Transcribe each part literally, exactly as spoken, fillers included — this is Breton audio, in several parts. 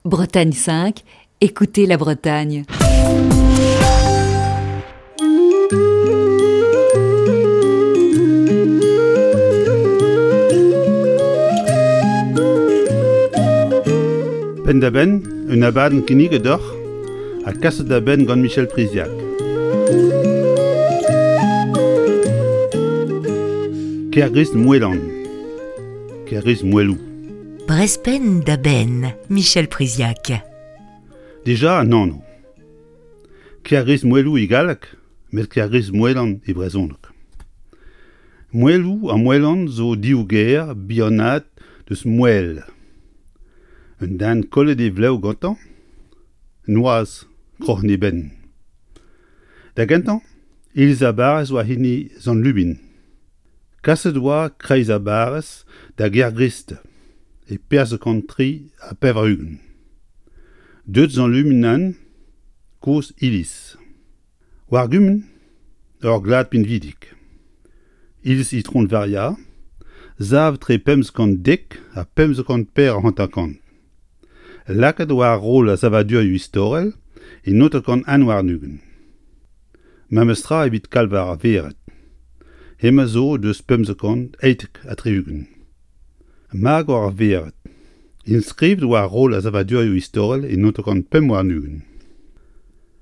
Bretagne cinq, écoutez la Bretagne. Penn-da-benn, un abadenn kinniget deoc'h ha kaset da benn gant Michel Priziac. Kergrist Moelan. Kergrist Moelou. Brezh Penn-da-Benn, Michel Priziac. Dija an anv. Kergrist Moelou e galleg, met Kergrist Moelan e brezhoneg. Moelou ha Moelan zo div ger bihanaet deus Moel. Un den kollet e vlev gantañ, noazh kroc'hen e benn. Da gentañ, iliz ar barrez oa hini Sant-Lubin. Kaset oa kreiz ar barrez da Gergrist e perzh kant tri ha pevar-ugent. Deuet Sant-Lubin kozh iliz. War gumun, ur glad pinvidik. Iliz Itron Varia, sav tre pemzek kant dek ha pemzek kant per hanter-kant. Lakaet war roll ar savadurioù istorel e naontek kant un warn-ugent. Memes tra evit kalvar ar vered. Hemañ zo deus pemzek kant eitek ha tri-ugent. Magor ar vered. Inskrivet war roll ar savadurioù istorel e naontek kant pemp warn-ugent.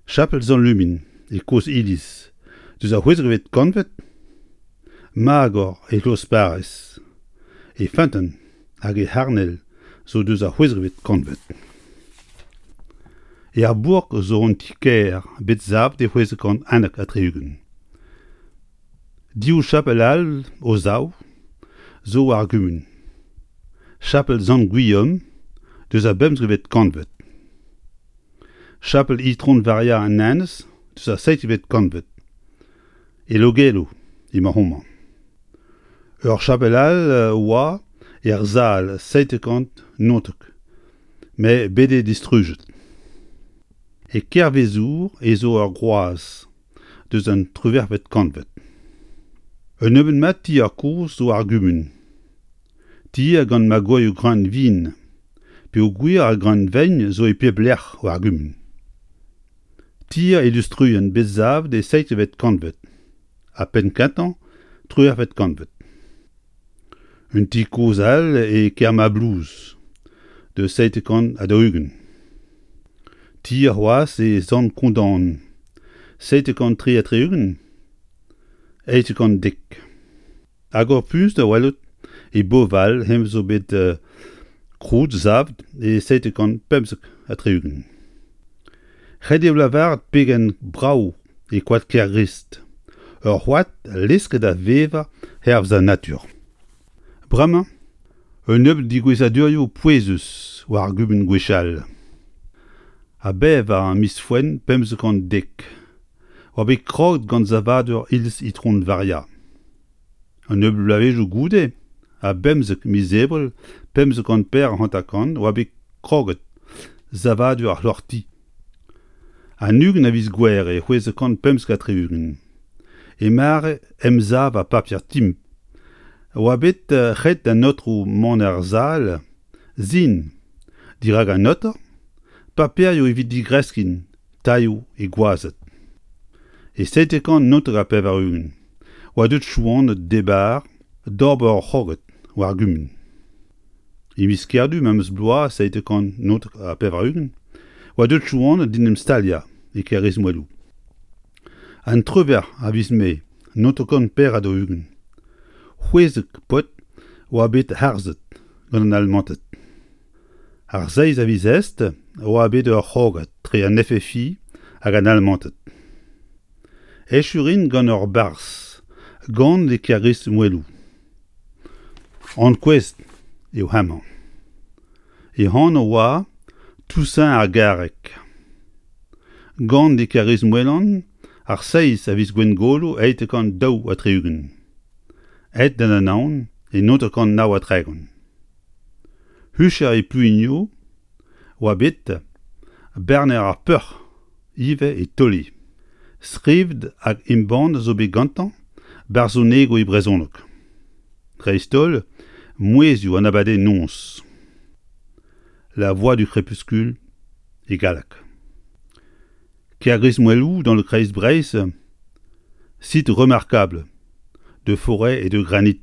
Chapel Sant-Lumin e kozh iliz deus ar c'hwezekvet kantved. Magor e kloz-parrez. E feunteun hag e c'harnel zo deus ar c'hwezekvet kantved. E ar bourk zo un ti-kêr bet savet e c'hwezek kant unnek ha tri-ugent. Div chapel all o zaou zo war ar gumun. Chapel Sant-Gwilhom deus ar bemzekvet kantved. Chapel Itron Varia an Enez deus ar seizhvet kantved. E Logelo emañ homañ. Ur chapel all oa er sal seitek kant naontek, met bet eo distrujet. E Kervezour ez zo ur groaz deus an triwec'hvet kantved. Un nebeud mat tier kozh zo ar gumun. Tier gant magorioù greun vin, peogwir ar greun vein zo e pep lec'h war ar gumun. Tier e Lustruenn bet savet e seizhvet kantved ha penn-kentañ triwec'hvet kantved. Un ti kozh all e Kermablouz, deus seitek kant ha daou-ugent. Tier c'hoazh e Sant-Kondan, seitek kant tri ha tri-ugent, eizh kant dek. Hag ur puñs da welout e Boval hemañ zo bet euh, krouet savet e seitek kant pemzek ha tri-ugent. Ret eo lavaret pegen brav e koad Kergrist. Ur c'hoad lesket da vevañ hervez an natur. Bremañ, un nebeud degouezhadurioù pouezus war ar gumun gwechall. A bevar miz Foenn pemzek kant dek. Oa bet kroget gant savadur iliz Itron Varia. Un nebeud bloavezhioù goude, a bemzek miz Ebrel pemzek kant per hanter-kant oa bet kroget savadur ar c'hloc'hti. An ugent a viz Gouhere e c'hwezek kant pemzek ha tri-ugent. E mare emsav ar paper timp. Oa bet ret d'an aotrou mont er sal sin dirak an noter, paperioù evit digreskin tailhoù e gwazed. E seitek kant naontek ha pevar-ugent oa deuet Chouaned d'Ebar d'ober ur c'hrogad war ar gumun. E miz Kerdu memes bloaz seitek kant naontek ha pevar-ugent oa deuet Chouaned d'en em staliañ e Kergrist-Moeloù. An triwec'h a viz Mae naontek kant per ha daou-ugent. C'hwezek paotr oa bet harzet gant an Almanted. Ar seizh a viz Est oa bet ur c'hrogad tre an F F I hag an Almanted. Echu rin gant ur barzh, gant e Kergrist-Moeloù. Ankouaet eo hemañ. E anv oa Toussaint ar Garreg. Gant e Kergrist-Moelan ar seizh a viz Gwengolo eitek kant daou ha tri-ugent. Aet d'an Anaon e naontek kant nav ha tregont. Hucher e Plouigno oa bet barner ar peoc'h ivez e Toli. Skrivet hag embannet zo bet gantañ barzhonegoù e brezhoneg. Dreist-holl mouezhioù an abadenn noz. La voix du crépuscule e galleg. Kergrismouelou, dans le Kreiz-Breizh, site remarquable de forêt et de granit,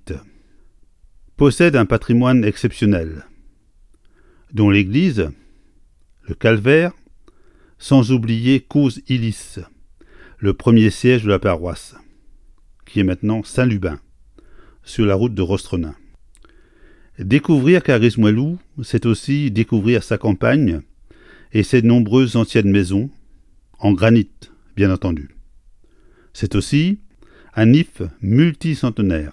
possède un patrimoine exceptionnel, dont l'église, le calvaire, sans oublier Kozh Iliz, le premier siège de la paroisse, qui est maintenant Saint-Lubin, sur la route de Rostronin. Découvrir Kergrismouelou, c'est aussi découvrir sa campagne et ses nombreuses anciennes maisons, en granit, bien entendu. C'est aussi un if multicentenaire.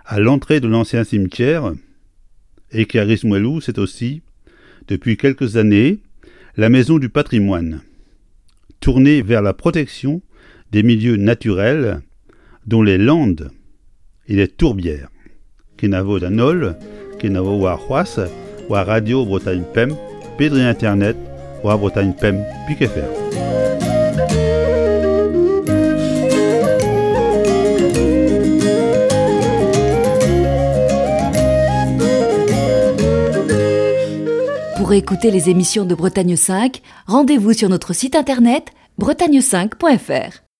À l'entrée de l'ancien cimetière, et Kergrismouelou, c'est aussi, depuis quelques années, la maison du patrimoine, tournée vers la protection des milieux naturels, dont les landes et les tourbières. Kenavo d'an holl, kenavo warc'hoazh, war Radio Bretagne Pemp, pe dre internet, war Bretagne Pemp pik F R. Pour écouter les émissions de Bretagne cinq, rendez-vous sur notre site internet bretagne cinq point F R.